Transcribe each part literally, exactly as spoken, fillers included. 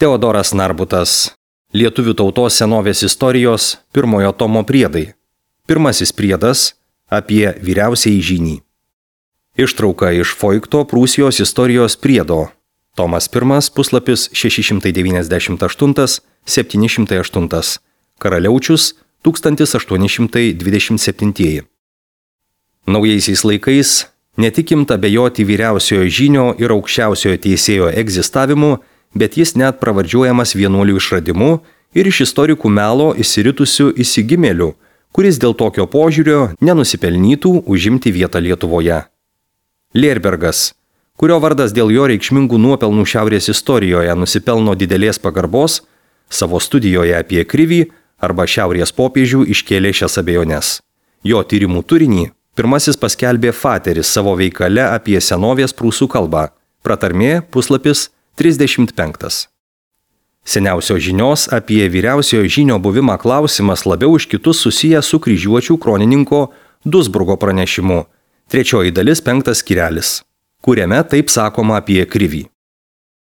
Teodoras Narbutas. Lietuvių tautos senovės istorijos pirmojo tomo priedai. Pirmasis priedas apie vyriausiąjį žynį. Ištrauka iš Foikto Prūsijos istorijos priedo. Tomas pirmas, puslapis šeši šimtai devyniasdešimt aštuoni septyni šimtai aštuoni. Karaliaučius tūkstantis aštuoni šimtai dvidešimt septyni. Naujaisiais laikais netikimt abejoti vyriausiojo žynio ir aukščiausiojo teisėjo egzistavimu, bet jis net pravardžiuojamas vienuolių išradimu ir iš istorikų melo įsiritusių įsigimėlių, kuris dėl tokio požiūrio nenusipelnytų užimti vietą Lietuvoje. Lierbergas, kurio vardas dėl jo reikšmingų nuopelnų šiaurės istorijoje nusipelno didelės pagarbos, savo studijoje apie Krivį arba šiaurės popiežių iškėlė šias abejones. Jo tyrimų turinį pirmasis paskelbė Fateris savo veikale apie senovės prūsų kalbą. Pratarmė, puslapis trisdešimt penktas. Seniausio žinios apie vyriausiojo žynio buvimą klausimas labiau už kitus susijęs su kryžiuočių kronininko Dusburgo pranešimu. Trečioji dalis penktas skyrelis, kuriame taip sakoma apie Krivį.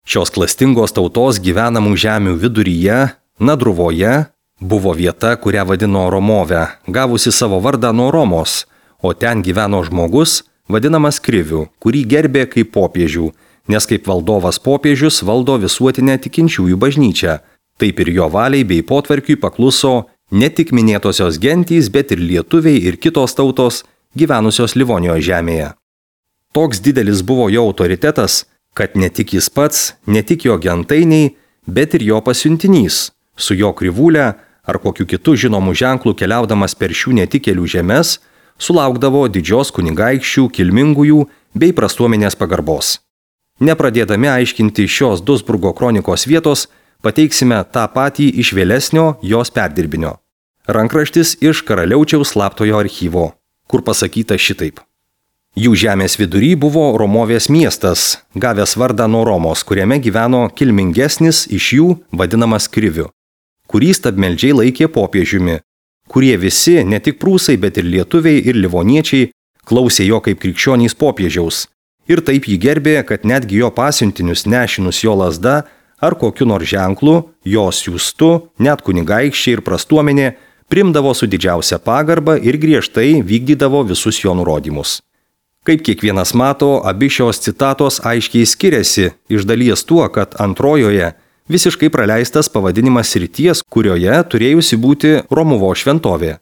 Šios klastingos tautos gyvenamų žemių viduryje, Nadruvoje, buvo vieta, kurią vadino Romove, gavusi savo vardą nuo Romos, o ten gyveno žmogus, vadinamas Kriviu, kurį gerbė kaip popiežių, nes kaip valdovas popiežius valdo visuotinę tikinčiųjų bažnyčią. Taip ir jo valiai bei potvarkiui pakluso ne tik minėtosios gentys, bet ir lietuviai ir kitos tautos gyvenusios Livonijos žemėje. Toks didelis buvo jo autoritetas, kad ne tik jis pats, ne tik jo gentainiai, bet ir jo pasiuntinys, su jo krivūle ar kokiu kitu žinomu ženklu keliaudamas per šių netikėlių žemes, sulaukdavo didžios kunigaikščių, kilmingųjų bei prastuomenės pagarbos. Nepradėdami aiškinti šios Dusburgo kronikos vietos, pateiksime tą patį iš vėlesnio jos perdirbinio. Rankraštis iš Karaliaučiaus slaptojo archyvo, kur pasakyta šitaip. Jų žemės vidury buvo Romovės miestas, gavęs vardą nuo Romos, kuriame gyveno kilmingesnis iš jų vadinamas Kriviu, kurį stabmeldžiai laikė popiežiumi, kurie visi, ne tik prūsai, bet ir lietuviai ir livoniečiai, klausė jo kaip krikščionys popiežiaus. Ir taip jį gerbė, kad netgi jo pasiuntinius nešinus jo lazda ar kokiu nors ženklu, jo siųstu, net kunigaikščiai ir prastuomenė, primdavo su didžiausia pagarba ir griežtai vykdydavo visus jo nurodymus. Kaip kiekvienas mato, abi šios citatos aiškiai skiriasi, iš dalies tuo, kad antrojoje visiškai praleistas pavadinimas srities, kurioje turėjusi būti Romuvo šventovė.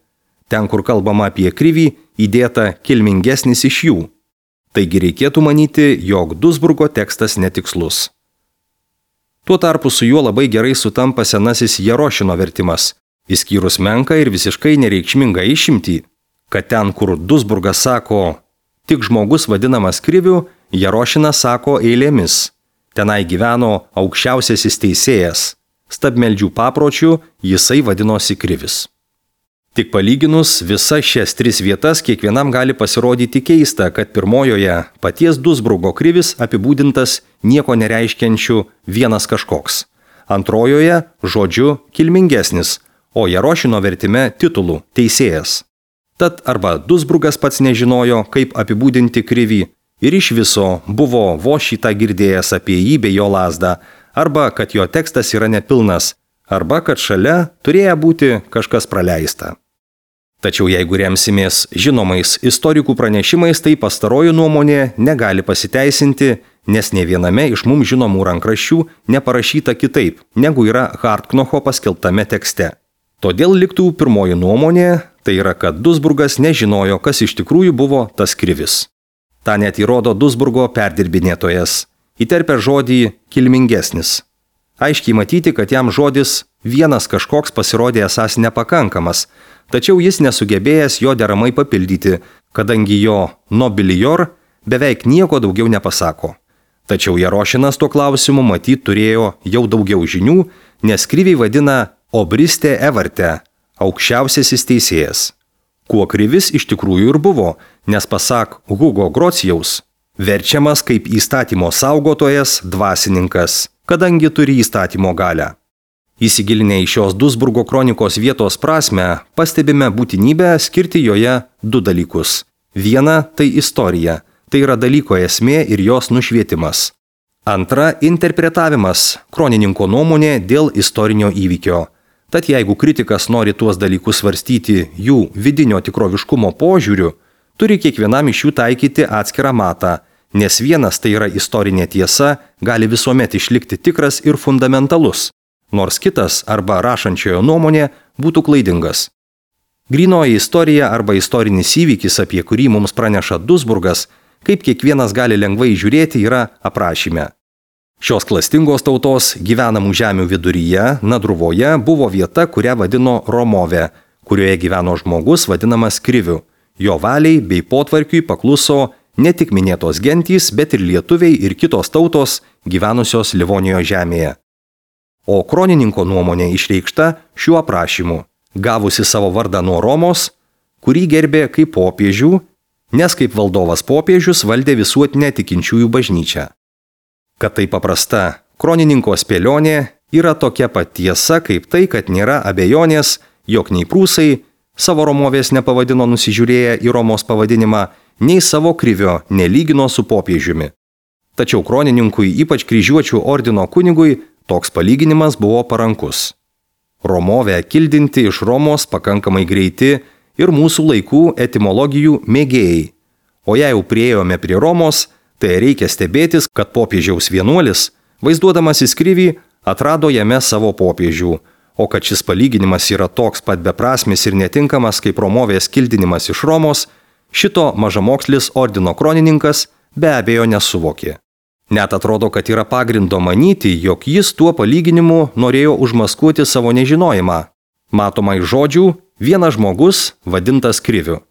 Ten, kur kalbama apie Krivį, įdėta kilmingesnis iš jų. Taigi reikėtų manyti, jog Dusburgo tekstas netikslus. Tuo tarpu su juo labai gerai sutampa senasis Jerošino vertimas, išskyrus menką ir visiškai nereikšmingą išimtį, kad ten, kur Dusburgas sako tik žmogus vadinamas Kriviu, Jerošinas sako eilėmis. Tenai gyveno aukščiausiasis teisėjas. Stabmeldžių papročių jisai vadinosi Krivis. Tik palyginus visas šias tris vietas kiekvienam gali pasirodyti keista, kad pirmojoje paties Dusburgo Krivis apibūdintas nieko nereiškiančiu vienas kažkoks. Antrojoje žodžiu kilmingesnis, o Jerošino vertime titulu teisėjas. Tad arba Dusburgas pats nežinojo, kaip apibūdinti Krivį, ir iš viso buvo vos šitą girdėjęs apie jį bei jo lazdą, arba kad jo tekstas yra nepilnas, arba kad šalia turėjo būti kažkas praleista. Tačiau jeigu remsimės žinomais istorikų pranešimais, tai pastaroji nuomonė negali pasiteisinti, nes ne viename iš mums žinomų rankraščių neparašyta kitaip, negu yra Hartknocho paskelbtame tekste. Todėl liktų pirmoji nuomonė, tai yra, kad Dusburgas nežinojo, kas iš tikrųjų buvo tas Krivis. Ta net įrodo Dusburgo perdirbinėtojas, įterpia žodį kilmingesnis. Aiškiai matyti, kad jam žodis vienas kažkoks pasirodė esąs nepakankamas, tačiau jis nesugebėjęs jo deramai papildyti, kadangi jo nobilior beveik nieko daugiau nepasako. Tačiau Jerošinas tuo klausimu matyt turėjo jau daugiau žinių, nes Kriviai vadina obriste evarte, aukščiausiasis teisėjas. Kuo Krivis iš tikrųjų ir buvo, nes pasak Hugo Grocijaus, verčiamas kaip įstatymo saugotojas dvasininkas, kadangi turi įstatymo galią. Įsigilinę į šios Dusburgo kronikos vietos prasmę, pastebime būtinybę skirti joje du dalykus. Viena – tai istorija, tai yra dalyko esmė ir jos nušvietimas. Antra – interpretavimas, kronininko nuomonė dėl istorinio įvykio. Tad jeigu kritikas nori tuos dalykus svarstyti jų vidinio tikroviškumo požiūriu, turi kiekvienam iš jų taikyti atskirą matą, nes vienas, tai yra istorinė tiesa, gali visuomet išlikti tikras ir fundamentalus, nors kitas arba rašančiojo nuomonė būtų klaidingas. Grynoji istorija arba istorinis įvykis, apie kurį mums praneša Duisburgas, kaip kiekvienas gali lengvai žiūrėti, yra aprašyme. Šios klastingos tautos gyvenamų žemių viduryje, Nadruvoje, buvo vieta, kurią vadino Romove, kurioje gyveno žmogus vadinamas Kriviu. Jo valiai bei potvarkiui pakluso ne tik minėtos gentys, bet ir lietuviai ir kitos tautos gyvenusios Livonijos žemėje. O kronininko nuomonė išreikšta šiuo aprašymu, gavusi savo vardą nuo Romos, kurį gerbė kaip popiežių, nes kaip valdovas popiežius valdė visuotinę tikinčiųjų bažnyčią. Kad tai paprasta kronininko spėlionė yra tokia pat tiesa, kaip tai, kad nėra abejonės, jog nei prūsai savo Romovės nepavadino nusižiūrėję į Romos pavadinimą, nei savo Krivio nelygino su popiežiumi. Tačiau kronininkui, ypač kryžiuočių ordino kunigui, toks palyginimas buvo parankus. Romovę kildinti iš Romos pakankamai greiti ir mūsų laikų etimologijų mėgėjai. O jei jau priėjome prie Romos, tai reikia stebėtis, kad popiežiaus vienuolis, vaizduodamasis Krivį, atrado jame savo popiežių, o kad šis palyginimas yra toks pat beprasmis ir netinkamas kaip Romovės kildinimas iš Romos, šito mažamokslis ordino kronininkas be abejo nesuvokė. Net atrodo, kad yra pagrindo manyti, jog jis tuo palyginimu norėjo užmaskuoti savo nežinojimą. Matoma iš žodžių vienas žmogus vadintas Kriviu.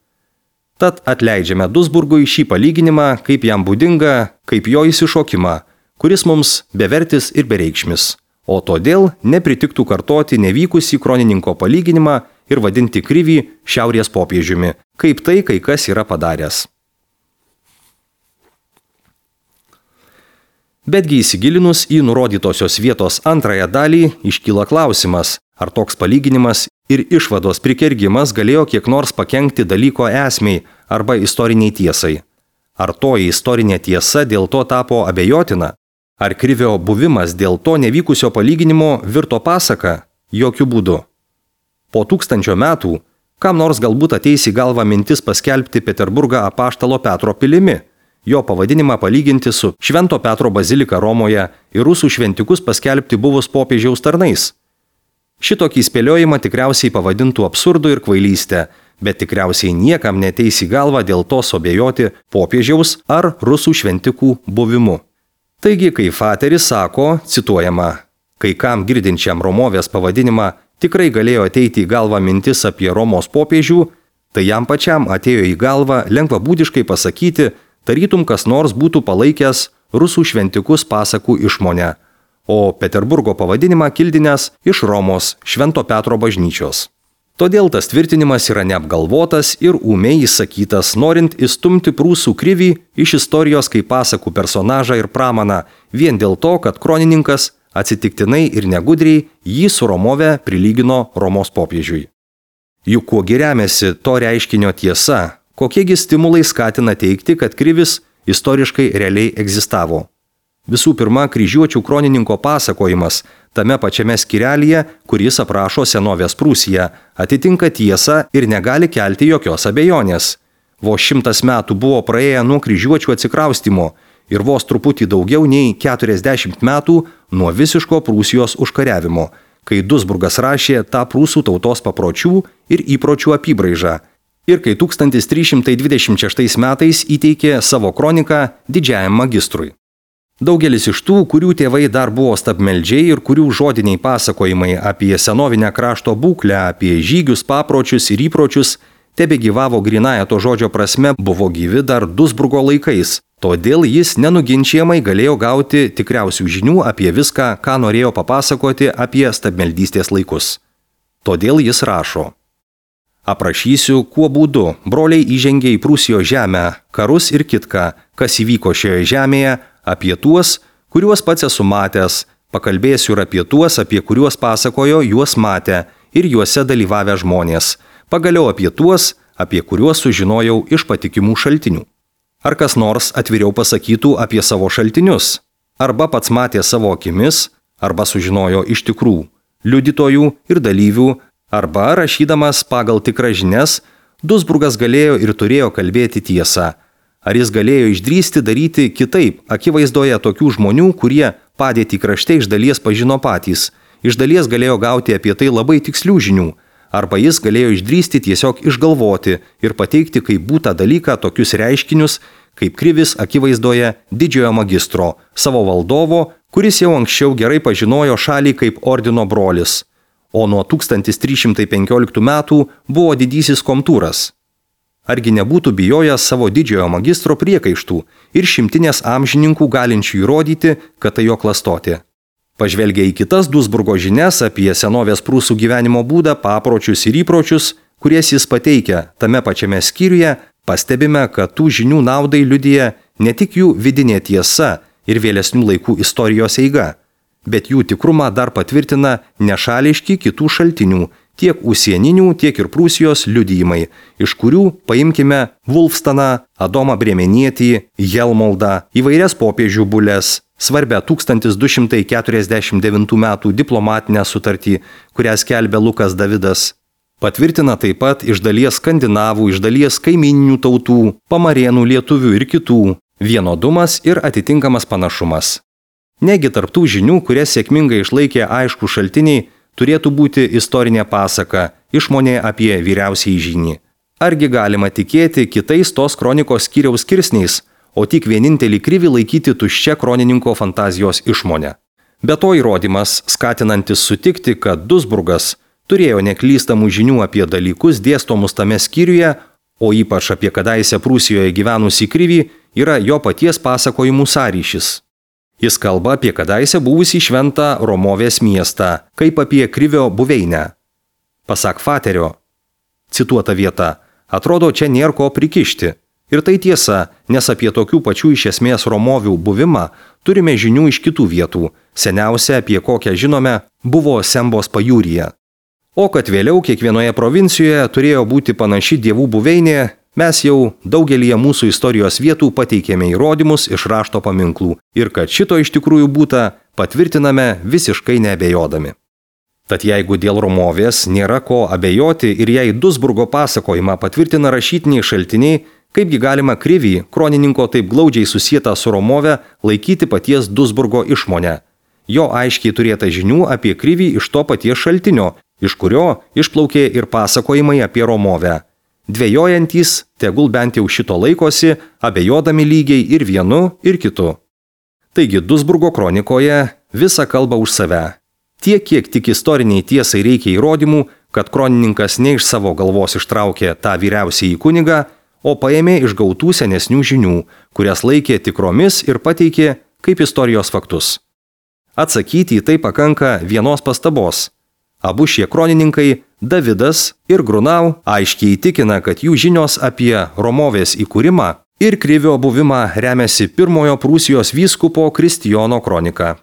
Tad atleidžiame Duisburgui šį palyginimą, kaip jam būdinga, kaip jo įsišokimą, kuris mums bevertis ir bereikšmis. O todėl nepritiktų kartoti nevykusį kronininko palyginimą ir vadinti Krivį šiaurės popiežiumi, kaip tai kai kas yra padaręs. Betgi įsigilinus į nurodytosios vietos antrąją dalį, iškyla klausimas, ar toks palyginimas ir išvados prikergimas galėjo kiek nors pakenkti dalyko esmei arba istoriniai tiesai. Ar toji istorinė tiesa dėl to tapo abejotina? Ar Krivio buvimas dėl to nevykusio palyginimo virto pasaka? Jokių būdų. Po tūkstančio metų, kam nors galbūt ateis į galvą mintis paskelbti Peterburgą Apaštalo Petro pilimi, jo pavadinimą palyginti su Švento Petro bazilika Romoje ir rusų šventikus paskelbti buvus popiežiaus tarnais. Šitokį spėliojimą tikriausiai pavadintų absurdu ir kvailystę, bet tikriausiai niekam neteis į galvą dėl to suabejoti popiežiaus ar rusų šventikų buvimu. Taigi, kai Fateris sako, cituojama, kai kam girdinčiam Romovės pavadinimą tikrai galėjo ateiti į galvą mintis apie Romos popiežių, tai jam pačiam atėjo į galvą lengvabūdiškai pasakyti, tarytum kas nors būtų palaikęs rusų šventikus pasakų išmonę, o Peterburgo pavadinimą kildinęs iš Romos Švento Petro bažnyčios. Todėl tas tvirtinimas yra neapgalvotas ir ūmiai įsakytas, norint įstumti prūsų Krivį iš istorijos kaip pasakų personažą ir pramaną, vien dėl to, kad kronininkas atsitiktinai ir negudriai jį su Romove prilygino Romos popiežiui. Juk kuo remiasi to reiškinio tiesa, kokiegi stimulai skatina teigti, kad Krivis istoriškai realiai egzistavo. Visų pirma, kryžiuočių kronininko pasakojimas tame pačiame skyrelyje, kuris aprašo senovės Prūsiją, atitinka tiesą ir negali kelti jokios abejonės. Vos šimtas metų buvo praėję nuo kryžiuočių atsikraustimo ir vos truputį daugiau nei keturiasdešimt metų nuo visiško Prūsijos užkariavimo, kai Duisburgas rašė tą prūsų tautos papročių ir įpročių apybraižą, ir kai tūkstantis trys šimtai dvidešimt šeštais metais įteikė savo kroniką didžiajam magistrui. Daugelis iš tų, kurių tėvai dar buvo stabmeldžiai ir kurių žodiniai pasakojimai apie senovinę krašto būklę, apie žygius, papročius ir įpročius, tebegyvavo grynąja to žodžio prasme, buvo gyvi dar Duisburgo laikais. Todėl jis nenuginčiamai galėjo gauti tikriausių žinių apie viską, ką norėjo papasakoti apie stabmeldystės laikus. Todėl jis rašo. Aprašysiu, kuo būdu broliai įžengė į Prūsijos žemę, karus ir kitką, kas įvyko šioje žemėje, apie tuos, kuriuos pats esu matęs, pakalbėsiu ir apie tuos, apie kuriuos pasakojo juos matę ir juose dalyvavę žmonės, pagaliau apie tuos, apie kuriuos sužinojau iš patikimų šaltinių. Ar kas nors atviriau pasakytų apie savo šaltinius? arba pats matė savo akimis, arba sužinojo iš tikrų liudytojų ir dalyvių, arba rašydamas pagal tikras žinias, Duisburgas galėjo ir turėjo kalbėti tiesą. Ar jis galėjo išdrįsti daryti kitaip, akivaizdoje tokių žmonių, kurie padėtį krašte iš dalies pažino patys, iš dalies galėjo gauti apie tai labai tikslių žinių, arba jis galėjo išdrįsti tiesiog išgalvoti ir pateikti kaip būtą dalyką tokius reiškinius, kaip krivis akivaizdoje didžiojo magistro, savo valdovo, kuris jau anksčiau gerai pažinojo šalį kaip ordino brolis, o nuo tūkstantis trys šimtai penkioliktų metų buvo didysis komtūras. Argi nebūtų bijojęs savo didžiojo magistro priekaištų ir šimtinės amžininkų galinčių įrodyti, kad tai jo klastotė. Pažvelgia į kitas Duisburgo žinias apie senovės prūsų gyvenimo būdą, papročius ir įpročius, kurias jis pateikia tame pačiame skyriuje, pastebime, kad tų žinių naudai liudija ne tik jų vidinė tiesa ir vėlesnių laikų istorijos eiga, bet jų tikrumą dar patvirtina nešališki kitų šaltinių, tiek užsieninių, tiek ir Prūsijos liudijimai, iš kurių paimkime Wulfstaną, Adomą Brėmenietį, Helmoldą, įvairias popiežių bules, svarbę tūkstantis du šimtai keturiasdešimt devintų metų diplomatinę sutartį, kurią skelbė Lukas Davidas. Patvirtina taip pat iš dalies skandinavų, iš dalies kaimininių tautų, pamarėnų, lietuvių ir kitų, vienodumas ir atitinkamas panašumas. Negi tarptų žinių, kurias sėkmingai išlaikė aišku šaltiniai, turėtų būti istorinė pasaka, išmonė apie vyriausiąjį žynį. Argi galima tikėti kitais tos kronikos skyriaus skirsniais, o tik vienintelį krivį laikyti tuščia kronininko fantazijos išmonę. Be to įrodymas, skatinantis sutikti, kad Duisburgas turėjo neklystamų žinių apie dalykus dėstomus tame skyriuje, o ypač apie kadaise Prūsijoje gyvenusį krivį, yra jo paties pasakojimų sąryšis. Jis kalba apie kadaise buvusį šventą Romovės miestą, kaip apie krivio buveinę. Pasak Faterio, cituota vieta, atrodo, čia nėra ko prikišti. Ir tai tiesa, nes apie tokių pačių iš esmės Romovių buvimą turime žinių iš kitų vietų. Seniausia, apie kokią žinome, buvo Sembos pajūryje. O kad vėliau kiekvienoje provincijoje turėjo būti panaši dievų buveinė, mes jau daugelyje mūsų istorijos vietų pateikėme įrodymus iš rašto paminklų ir kad šito iš tikrųjų būta, patvirtiname visiškai neabejodami. Tad jeigu dėl Romovės nėra ko abejoti ir jei Duisburgo pasakojimą patvirtina rašytiniai šaltiniai, kaipgi galima krivį, kronininko taip glaudžiai susietą su Romove, laikyti paties Duisburgo išmonę. Jo aiškiai turėta žinių apie krivį iš to paties šaltinio, iš kurio išplaukė ir pasakojimai apie Romovę. Dvejojantys, tegul bent jau šito laikosi, abejodami lygiai ir vienu, ir kitu. Taigi Duisburgo kronikoje visa kalba už save. Tiek, kiek tik istoriniai tiesai reikia įrodymų, kad kronininkas ne iš savo galvos ištraukė tą vyriausiąjį kunigą, o paėmė iš gautų senesnių žinių, kurias laikė tikromis ir pateikė kaip istorijos faktus. Atsakyti į tai pakanka vienos pastabos. Abu šie kronininkai, Davidas ir Grunau, aiškiai įtikina, kad jų žinios apie Romovės įkūrimą ir krivio buvimą remiasi pirmojo Prūsijos vyskupo Kristijono kronika.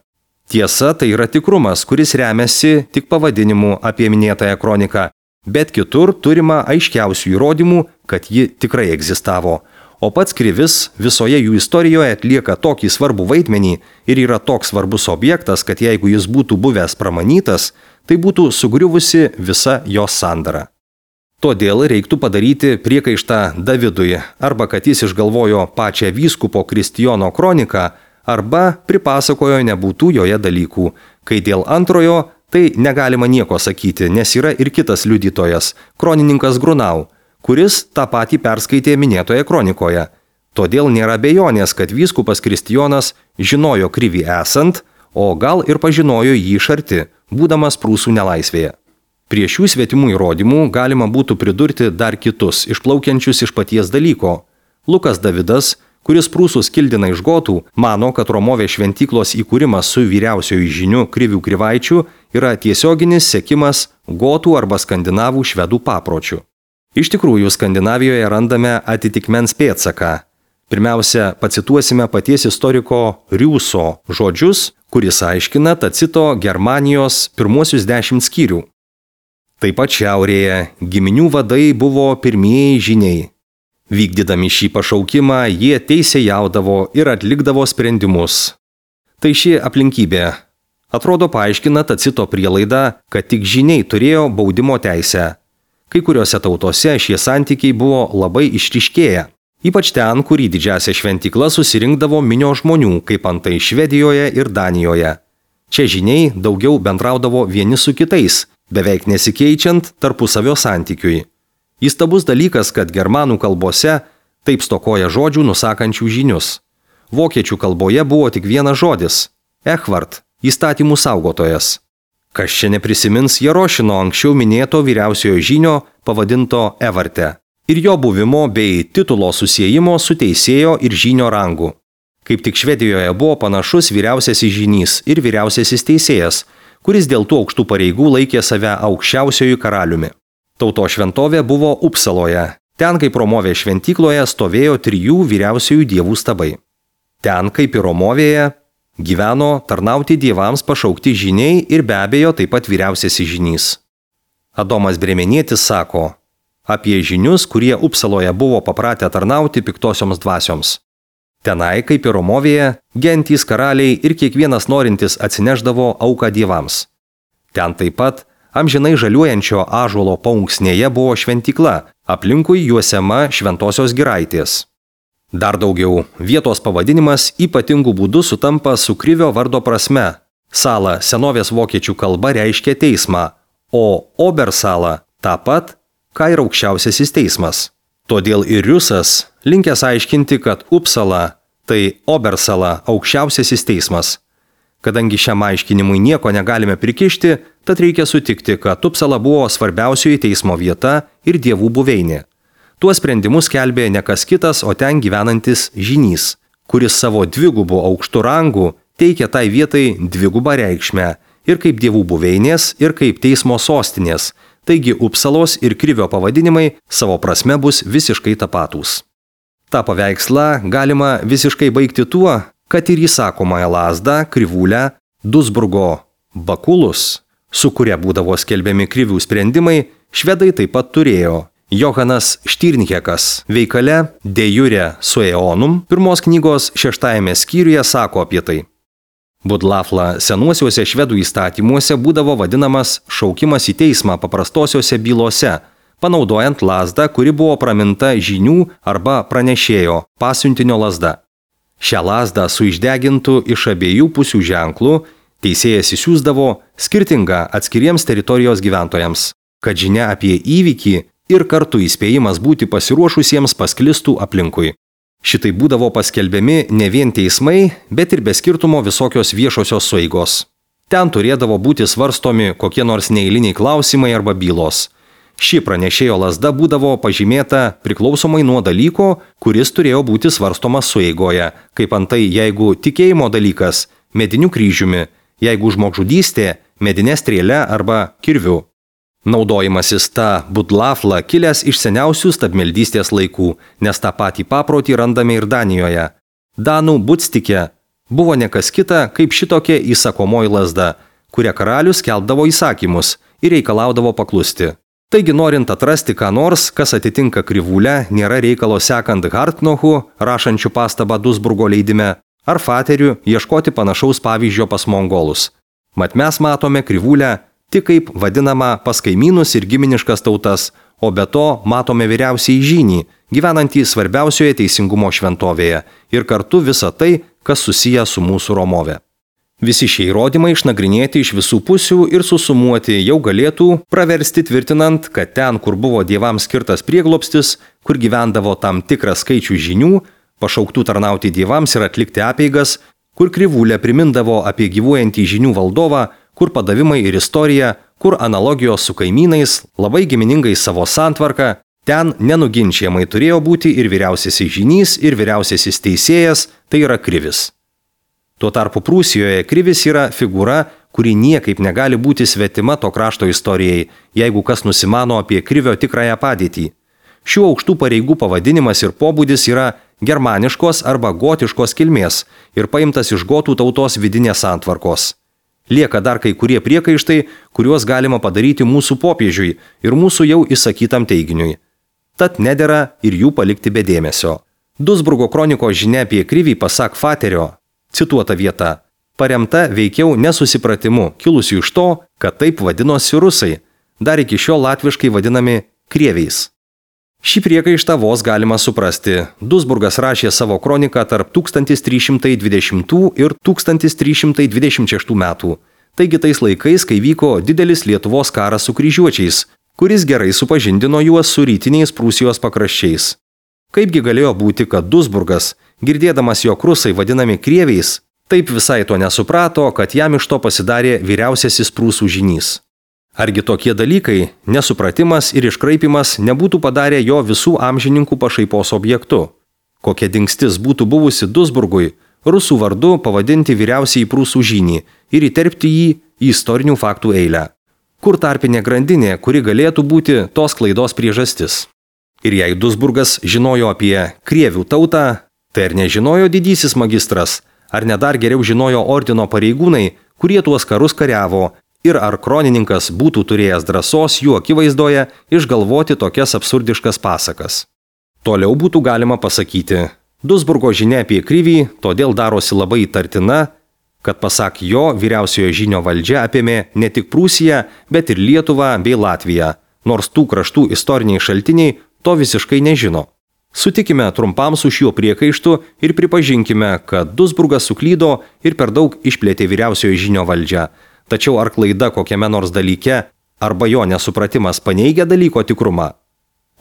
Tiesa, tai yra tikrumas, kuris remiasi tik pavadinimu apie minėtąją kroniką, bet kitur turima aiškiausių įrodymų, kad ji tikrai egzistavo. O pats krivis visoje jų istorijoje atlieka tokį svarbų vaidmenį ir yra toks svarbus objektas, kad jeigu jis būtų buvęs pramanytas, tai būtų sugriuvusi visa jos sandara. Todėl reiktų padaryti priekaištą Davidui, arba kad jis išgalvojo pačią vyskupo Kristijono kroniką, arba pripasakojo nebūtų joje dalykų. Kai dėl antrojo, tai negalima nieko sakyti, nes yra ir kitas liudytojas, kronininkas Grunau, kuris tą patį perskaitė minėtoje kronikoje. Todėl nėra abejonės, kad vyskupas Kristijonas žinojo krivį esant, o gal ir pažinojo jį iš arti, būdamas Prūsų nelaisvėje. Prie šių svetimų įrodymų galima būtų pridurti dar kitus, išplaukiančius iš paties dalyko. Lukas Davidas, kuris Prūsus kildina iš gotų, mano, kad Romovės šventyklos įkūrimas su vyriausioju žiniu krivių krivaičių yra tiesioginis sekimas gotų arba skandinavų švedų papročių. Iš tikrųjų, Skandinavijoje randame atitikmens pėdsaką. Pirmiausia, pacituosime paties istoriko Riuso žodžius, kuris aiškina Tacito Germanijos pirmuosius dešimt skyrių. Taip pat šiaurėje giminių vadai buvo pirmieji žiniai. Vykdydami šį pašaukimą, jie teisėjaudavo ir atlikdavo sprendimus. Tai ši aplinkybė atrodo paaiškina Tacito prielaidą, kad tik žyniai turėjo baudimo teisę. Kai kuriuose tautose šie santykiai buvo labai išryškėję, ypač ten, kur į didžiąsią šventyklą susirinkdavo minio žmonių, kaip antai Švedijoje ir Danijoje. Čia žyniai daugiau bendraudavo vieni su kitais, beveik nesikeičiant tarpusavio santykiui. Įstabus dalykas, kad germanų kalbose taip stokoja žodžių nusakančių žynius. Vokiečių kalboje buvo tik vienas žodis – echvart, įstatymų saugotojas. Kas čia neprisimins Jarošino anksčiau minėto vyriausiojo žynio pavadinto Evarte ir jo buvimo bei titulo susiejimo su teisėjo ir žynio rangu. Kaip tik Švedijoje buvo panašus vyriausiasis žynys ir vyriausiasis teisėjas, kuris dėl tų aukštų pareigų laikė save aukščiausiojų karaliumi. Tauto šventovė buvo Upsaloje. Ten, kaip Romovės šventykloje, stovėjo trijų vyriausiųjų dievų stabai. Ten, kaip ir Romovėje, gyveno tarnauti dievams pašaukti žyniai ir be abejo taip pat vyriausiasis žynys. Adomas Bremenietis sako apie žynius, kurie Upsaloje buvo papratę tarnauti piktosioms dvasioms. Tenai, kaip ir Romovėje, gentys karaliai ir kiekvienas norintis atsineždavo auką dievams. Ten taip pat amžinai žaliuojančio ąžuolo paunksnėje buvo šventykla, aplinkui juosiama šventosios giraitės. Dar daugiau, vietos pavadinimas ypatingų būdų sutampa su krivio vardo prasme. Sala senovės vokiečių kalba reiškia teismą, o Obersala tą pat, ką ir aukščiausiasis teismas. Todėl ir Riusas linkęs aiškinti, kad Upsala tai Obersala aukščiausiasis teismas. Kadangi šiam aiškinimui nieko negalime prikišti, tad reikia sutikti, kad Upsala buvo svarbiausioji teismo vieta ir dievų buveinė. Tuos sprendimus skelbė ne kas kitas, o ten gyvenantis žynys, kuris savo dvigubų aukštų rangų teikia tai vietai dvigubą reikšmę ir kaip dievų buveinės, ir kaip teismo sostinės, taigi Upsalos ir Krivio pavadinimai savo prasme bus visiškai tapatūs. Ta paveikslą galima visiškai baigti tuo, kad ir įsakomąją lazdą, krivūlę, Duisburgo bakulus, su kuria būdavo skelbiami krivių sprendimai, švedai taip pat turėjo. Johanas Štirnhekas veikale De jure sueonum pirmos knygos šeštajame skyriuje sako apie tai. Budlafla senuosiuose švedų įstatymuose būdavo vadinamas šaukimas į teismą paprastosiuose bylose, panaudojant lazdą, kuri buvo praminta žynių arba pranešėjo pasiuntinio lazda. Šią lazdą su išdegintu iš abiejų pusių ženklų teisėjas įsiųsdavo skirtingą atskiriems teritorijos gyventojams, kad žinia apie įvykį ir kartu įspėjimas būti pasiruošusiems pasklistų aplinkui. Šitai būdavo paskelbiami ne vien teismai, bet ir be skirtumo visokios viešosios sueigos. Ten turėdavo būti svarstomi kokie nors neeiliniai klausimai arba bylos. Ši pranešėjo lazda būdavo pažymėta priklausomai nuo dalyko, kuris turėjo būti svarstomas sueigoje, kaip antai jeigu tikėjimo dalykas – mediniu kryžiumi, jeigu žmogžudystė – medinė strėle arba kirviu. Naudojimasis ta budlafla kilęs iš seniausių stabmeldystės laikų, nes tą patį paprotį randame ir Danijoje. Danų budstike buvo ne kas kita kaip šitokia įsakomoji lazda, kuria karalius skelbdavo įsakymus ir reikalaudavo paklusti. Taigi norint atrasti ką nors, kas atitinka krivūlę, nėra reikalo sekant Hartnochu, rašančių pastabą Duisburgo leidime, ar Fateriu ieškoti panašaus pavyzdžio pas mongolus. Mat mes matome krivūlę tik kaip vadinama pas kaimynus ir giminiškas tautas, o be to matome vyriausiai žynį, gyvenantį svarbiausioje teisingumo šventovėje ir kartu visą tai, kas susiję su mūsų Romove. Visi šie įrodymai išnagrinėti iš visų pusių ir susumuoti jau galėtų praversti tvirtinant, kad ten, kur buvo dievams skirtas prieglobstis, kur gyvendavo tam tikras skaičius žynių, pašauktų tarnauti dievams ir atlikti apeigas, kur krivūlė primindavo apie gyvuojantį žynių valdovą, kur padavimai ir istorija, kur analogijos su kaimynais, labai giminingai savo santvarką, ten nenuginčiamai turėjo būti ir vyriausiasis žynys, ir vyriausiasis teisėjas, tai yra krivis. Tuo tarpu Prūsijoje krivis yra figūra, kuri niekaip negali būti svetima to krašto istorijai, jeigu kas nusimano apie krivio tikrąją padėtį. Šių aukštų pareigų pavadinimas ir pobūdis yra germaniškos arba gotiškos kilmės ir paimtas iš gotų tautos vidinės santvarkos. Lieka dar kai kurie priekaištai, kuriuos galima padaryti mūsų popiežiui ir mūsų jau įsakytam teiginiui. Tad nedera ir jų palikti be dėmesio. Duisburgo kronikos žinia apie krivį pasak Faterio, cituota vieta, paremta veikiau nesusipratimu, kilusiu iš to, kad taip vadinosi rusai, dar iki šiol latviškai vadinami krieviais. Šį priekaištą vos galima suprasti. Duisburgas rašė savo kroniką tarp tūkstantis trys šimtai dvidešimtų ir tūkstantis trys šimtai dvidešimt šeštų metų. Taigi tais laikais, kai vyko didelis Lietuvos karas su kryžiuočiais, kuris gerai supažindino juos su rytiniais Prūsijos pakraščiais. Kaipgi galėjo būti, kad Duisburgas, girdėdamas jog rusai vadinami krieviais, taip visai to nesuprato, kad jam iš to pasidarė vyriausiasis prūsų žynys. Argi tokie dalykai, nesupratimas ir iškraipimas nebūtų padarę jo visų amžininkų pašaipos objektu? Kokia dingstis būtų buvusi Duisburgui, rusų vardu pavadinti vyriausiai prūsų žynį ir įterpti jį į istorinių faktų eilę? Kur tarpinė grandinė, kuri galėtų būti tos klaidos priežastis? Ir jei Duisburgas žinojo apie krievių tautą, tai ar nežinojo didysis magistras, ar ne dar geriau žinojo ordino pareigūnai, kurie tuos karus kariavo, ir ar kronininkas būtų turėjęs drąsos jų akivaizdoje išgalvoti tokias absurdiškas pasakas. Toliau būtų galima pasakyti, Duisburgo žinia apie krivį todėl darosi labai įtartina, kad pasak jo vyriausiojo žynio valdžia apėmė ne tik Prūsiją, bet ir Lietuvą bei Latviją, nors tų kraštų istoriniai šaltiniai to visiškai nežino. Sutikime trumpam su šiuo priekaištu ir pripažinkime, kad Duisburgas suklydo ir per daug išplėtė vyriausiojo žynio valdžią. Tačiau ar klaida kokiame nors dalyke, arba jo nesupratimas paneigia dalyko tikrumą?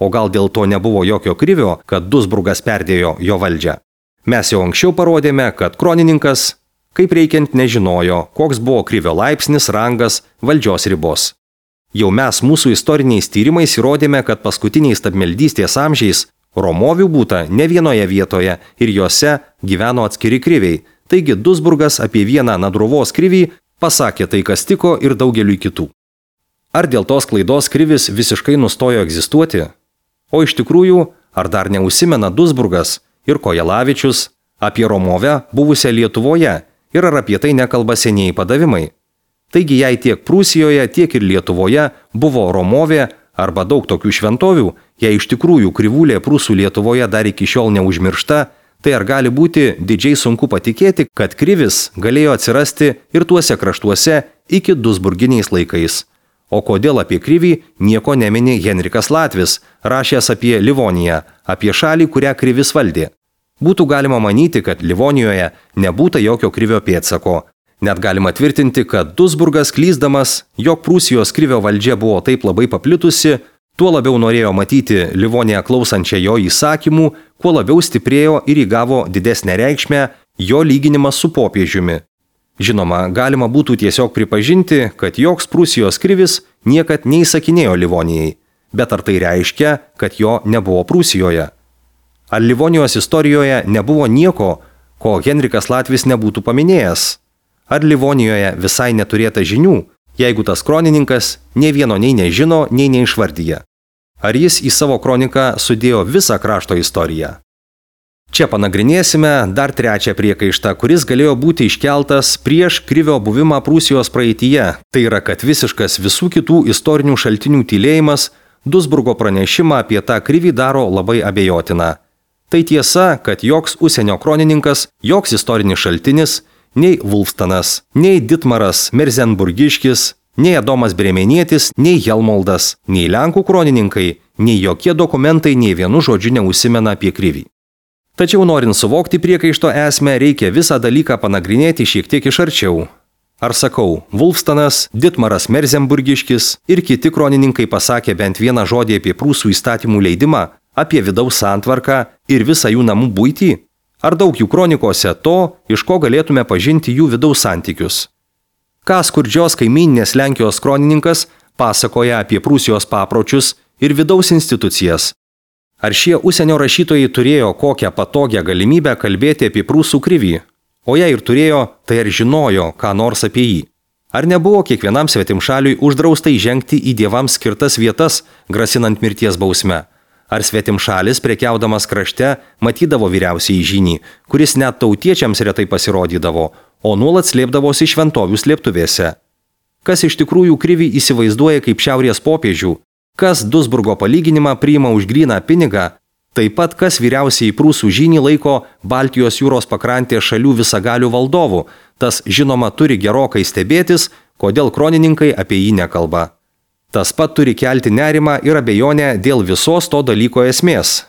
O gal dėl to nebuvo jokio krivio, kad Duisburgas perdėjo jo valdžią? Mes jau anksčiau parodėme, kad kronininkas, kaip reikiant, nežinojo, koks buvo krivio laipsnis, rangas, valdžios ribos. Jau mes mūsų istoriniais tyrimais įrodėme, kad paskutiniais stabmeldystės amžiais Romovių būta ne vienoje vietoje ir juose gyveno atskiri kriviai, taigi Duisburgas apie vieną Nadruvos krivį pasakė tai, kas tiko ir daugeliui kitų. Ar dėl tos klaidos krivis visiškai nustojo egzistuoti? O iš tikrųjų, ar dar neužsimena Duisburgas ir Kojelavičius apie Romovę buvusią Lietuvoje ir ar apie tai nekalba senieji padavimai? Taigi, jei tiek Prūsijoje, tiek ir Lietuvoje buvo Romovė arba daug tokių šventovių, jei iš tikrųjų krivulė Prūsų Lietuvoje dar iki šiol neužmiršta, tai ar gali būti didžiai sunku patikėti, kad krivis galėjo atsirasti ir tuose kraštuose iki duisburginiais laikais? O kodėl apie krivį nieko nemini Henrikas Latvis, rašęs apie Livoniją, apie šalį, kurią krivis valdė? Būtų galima manyti, kad Livonijoje nebūta jokio krivio pėdsako. Net galima tvirtinti, kad Duisburgas klysdamas, jog Prūsijos krivio valdžia buvo taip labai paplitusi, tuo labiau norėjo matyti Livoniją klausančią jo įsakymų, kuo labiau stiprėjo ir įgavo didesnę reikšmę jo lyginimas su popiežiumi. Žinoma, galima būtų tiesiog pripažinti, kad joks Prūsijos krivis niekad neįsakinėjo Livonijai, bet ar tai reiškia, kad jo nebuvo Prūsijoje? Ar Livonijos istorijoje nebuvo nieko, ko Henrikas Latvis nebūtų paminėjęs? Ar Livonijoje visai neturėta žinių, jeigu tas kronininkas nei vieno nei nežino, nei neišvardyja? Ar jis į savo kroniką sudėjo visą krašto istoriją? Čia panagrinėsime dar trečią priekaištą, kuris galėjo būti iškeltas prieš krivio buvimą Prūsijos praeityje. Tai yra, kad visiškas visų kitų istorinių šaltinių tylėjimas Duisburgo pranešimą apie tą krivį daro labai abejotiną. Tai tiesa, kad joks užsienio kronininkas, joks istorinis šaltinis, nei Vulfstanas, nei Ditmaras Merzenburgiškis, nei Adomas Bremenietis, nei Helmoldas, nei Lenkų kronininkai, nei jokie dokumentai nei vienu žodžiu neužsimena apie krivį. Tačiau norint suvokti priekaišto esmę, reikia visą dalyką panagrinėti šiek tiek iš arčiau. Ar sakau, Vulfstanas, Ditmaras Merzenburgiškis ir kiti kronininkai pasakė bent vieną žodį apie prūsų įstatymų leidimą, apie vidaus santvarką ir visą jų namų buitį? Ar daug jų kronikose to, iš ko galėtume pažinti jų vidaus santykius? Ką skurdžios kaimyninės Lenkijos kronininkas pasakoja apie Prūsijos papročius ir vidaus institucijas? Ar šie užsienio rašytojai turėjo kokią patogią galimybę kalbėti apie prūsų krivį? O jei ir turėjo, tai ar žinojo ką nors apie jį? Ar nebuvo kiekvienam svetimšaliui uždrausta įžengti į dievams skirtas vietas, grasinant mirties bausme? Ar svetimšalis prekiaudamas krašte matydavo vyriausiąjį žynį, kuris net tautiečiams retai pasirodydavo, o nuolat slėpdavosi šventovių slėptuvėse? Kas iš tikrųjų krivį įsivaizduoja kaip šiaurės popiežių? Kas Duisburgo palyginimą priima už gryną pinigą? Taip pat kas vyriausiai prūsų žynį laiko Baltijos jūros pakrantės šalių visagalių valdovų, tas žinoma turi gerokai stebėtis, kodėl kronininkai apie jį nekalba. Tas pat turi kelti nerimą ir abejonę dėl visos to dalyko esmės.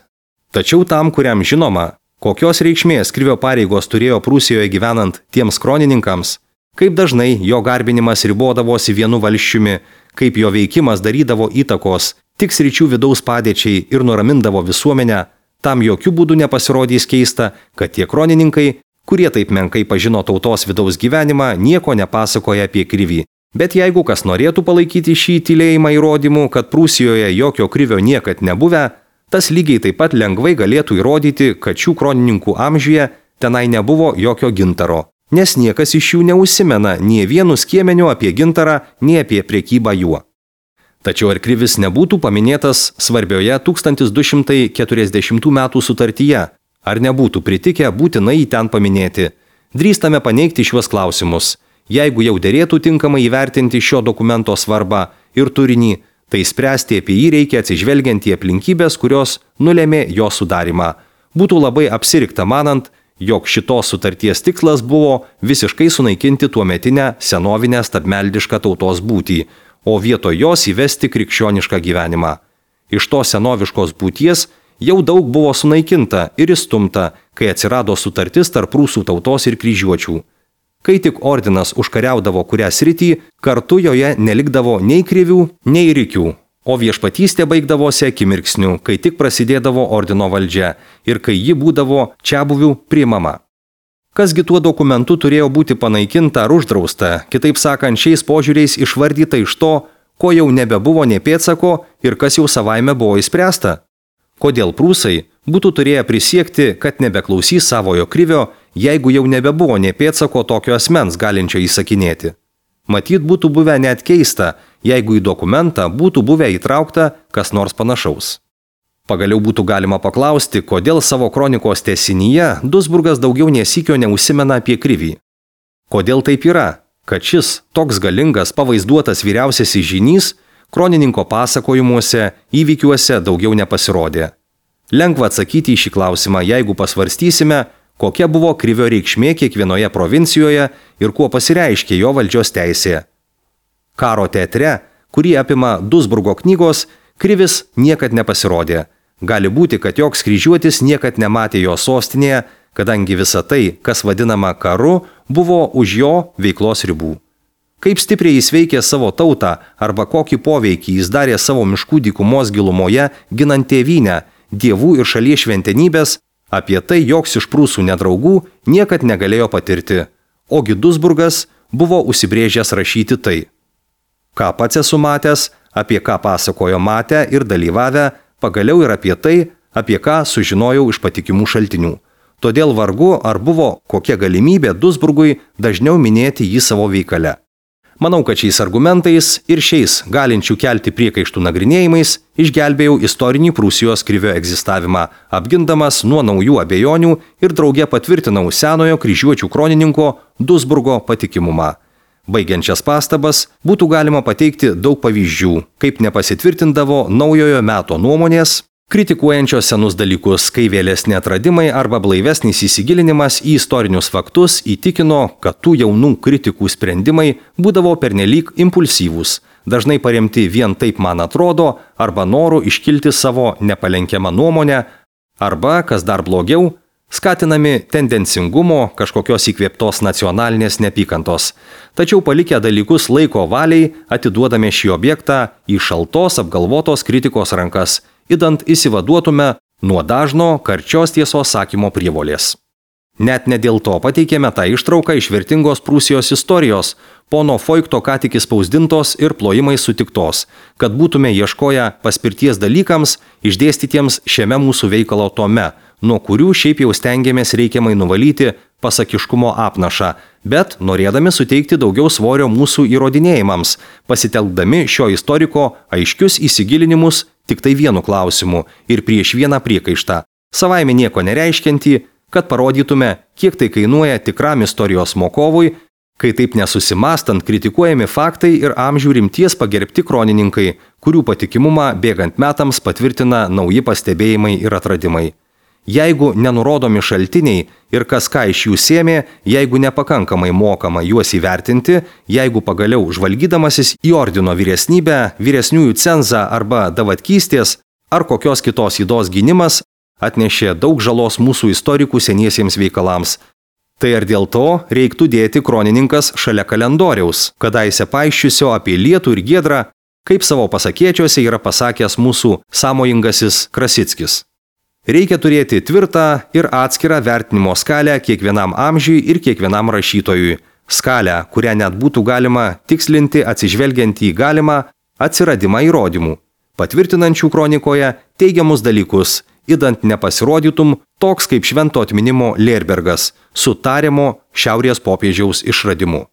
Tačiau tam, kuriam žinoma, kokios reikšmės Krivio pareigos turėjo Prūsijoje gyvenant tiems kronininkams, kaip dažnai jo garbinimas ribodavosi vienu valsčiumi, kaip jo veikimas darydavo įtakos tik sričių vidaus padėčiai ir nuramindavo visuomenę, tam jokių būdų nepasirodys keista, kad tie kronininkai, kurie taip menkai pažino tautos vidaus gyvenimą, nieko nepasakoja apie Krivį. Bet jeigu kas norėtų palaikyti šį tylėjimą įrodymų, kad Prūsijoje jokio Krivio niekad nebuvę, tas lygiai taip pat lengvai galėtų įrodyti, kad šių kronininkų amžiuje tenai nebuvo jokio gintaro, nes niekas iš jų neužsimena nie vienu skiemeniu apie gintarą, nie apie prekybą juo. Tačiau ar Krivis nebūtų paminėtas svarbioje tūkstantis du šimtai keturiasdešimtų metų sutartyje, ar nebūtų pritikę būtinai jį ten paminėti? Drįstame paneigti šiuos klausimus. Jeigu jau derėtų tinkamai įvertinti šio dokumento svarbą ir turinį, tai spręsti apie jį reikia atsižvelgiant į aplinkybės, kurios nulėmė jo sudarimą. Būtų labai apsirikta manant, jog šitos sutarties tikslas buvo visiškai sunaikinti tuometinę senovinę stabmeldišką tautos būtį, o vietoj jos įvesti krikščionišką gyvenimą. Iš tos senoviškos būties jau daug buvo sunaikinta ir įstumta, kai atsirado sutartis tarp prūsų tautos ir kryžiuočių. Kai tik ordinas užkariaudavo kurią sritį, kartu joje nelikdavo nei krivių, nei rikių, o viešpatystė baigdavosi akimirksniu, kai tik prasidėdavo ordino valdžia ir kai ji būdavo čiabuvių priimama. Kasgi tuo dokumentu turėjo būti panaikinta ar uždrausta, kitaip sakant, šiais požiūriais išvardyta iš to, ko jau nebebuvo nė pėdsako ir kas jau savaime buvo įspręsta? Kodėl prūsai būtų turėję prisiekti, kad nebeklausys savojo Krivio, jeigu jau nebebuvo nė pėdsako tokio asmens galinčio įsakinėti? Matyt, būtų buvę net keista, jeigu į dokumentą būtų buvę įtraukta kas nors panašaus. Pagaliau būtų galima paklausti, kodėl savo kronikos tęsinyje Duisburgas daugiau nesykio neužsimena apie Krivį. Kodėl taip yra, kad šis toks galingas pavaizduotas vyriausiasis žynys kronininko pasakojimuose, įvykiuose daugiau nepasirodė. Lengva atsakyti į šį klausimą, jeigu pasvarstysime, kokia buvo Krivio reikšmė kiekvienoje provincijoje ir kuo pasireiškė jo valdžios teisė. Karo teatre, kurį apima Duisburgo knygos, Krivis niekad nepasirodė. Gali būti, kad joks kryžiuotis niekad nematė jo sostinėje, kadangi visa tai, kas vadinama karu, buvo už jo veiklos ribų. Kaip stipriai jis veikė savo tautą arba kokį poveikį jis darė savo miškų dykumos gilumoje, ginant tėvynę, dievų ir šalies šventenybės, apie tai joks iš prūsų nedraugų niekad negalėjo patirti, ogi Duisburgas buvo užsibrėžęs rašyti tai. Ką pats esu matęs, apie ką pasakojo matę ir dalyvavę, pagaliau ir apie tai, apie ką sužinojau iš patikimų šaltinių. Todėl vargu ar buvo kokia galimybė Duisburgui dažniau minėti jį savo veikale. Manau, kad šiais argumentais ir šiais galinčių kelti priekaištų nagrinėjimais išgelbėjau istorinį Prūsijos Krivio egzistavimą, apgindamas nuo naujų abejonių ir drauge patvirtinau senojo kryžiuočių kronininko Duisburgo patikimumą. Baigiančias pastabas būtų galima pateikti daug pavyzdžių, kaip nepasitvirtindavo naujojo meto nuomonės, kritikuojančios senus dalykus, kai vėlesni atradimai arba blaivesnis įsigilinimas į istorinius faktus įtikino, kad tų jaunų kritikų sprendimai būdavo pernelyg impulsyvūs, dažnai paremti vien taip man atrodo, arba noru iškilti savo nepalenkiamą nuomonę, arba, kas dar blogiau, skatinami tendencingumo, kažkokios įkvėptos nacionalinės neapykantos. Tačiau palikę dalykus laiko valiai, atiduodame šį objektą į šaltos apgalvotos kritikos rankas, idant įsivaduotume nuo dažno karčios tiesos sakymo prievolės. Net ne dėl to pateikėme tą ištrauką iš vertingos Prūsijos istorijos, pono Foikto ką tik įspausdintos ir plojimai sutiktos, kad būtume ieškoję paspirties dalykams išdėstytiems šiame mūsų veikalo tome, nuo kurių šiaip jau stengiamės reikiamai nuvalyti pasakiškumo apnašą, bet norėdami suteikti daugiau svorio mūsų įrodinėjimams, pasitelkdami šio istoriko aiškius įsigilinimus tik tai vienu klausimu ir prieš vieną priekaištą, savaime nieko nereiškiantį, kad parodytume, kiek tai kainuoja tikram istorijos mokovui, kai taip nesusimastant kritikuojami faktai ir amžių rimties pagerbti kronininkai, kurių patikimumą bėgant metams patvirtina nauji pastebėjimai ir atradimai. Jeigu nenurodomi šaltiniai ir kas ką iš jų sėmė, jeigu nepakankamai mokama juos įvertinti, jeigu pagaliau žvalgydamasis į ordino vyresnybę, vyresniųjų cenzą arba davatkystės ar kokios kitos ydos gynimas atnešė daug žalos mūsų istorikų seniesiems veikalams. Tai ar dėl to reiktų dėti kronininkas šalia kalendoriaus, kadaise paaiščiusio apie lietų ir giedrą, kaip savo pasakėčiuose yra pasakęs mūsų sąmojingasis Krasickis. Reikia turėti tvirtą ir atskirą vertinimo skalę kiekvienam amžiui ir kiekvienam rašytojui. Skalę, kurią net būtų galima tikslinti atsižvelgiant į galimą atsiradimą įrodymų, patvirtinančių kronikoje teigiamus dalykus, idant nepasirodytum toks kaip švento atminimo Lerbergas su tariamo šiaurės popiežiaus išradimu.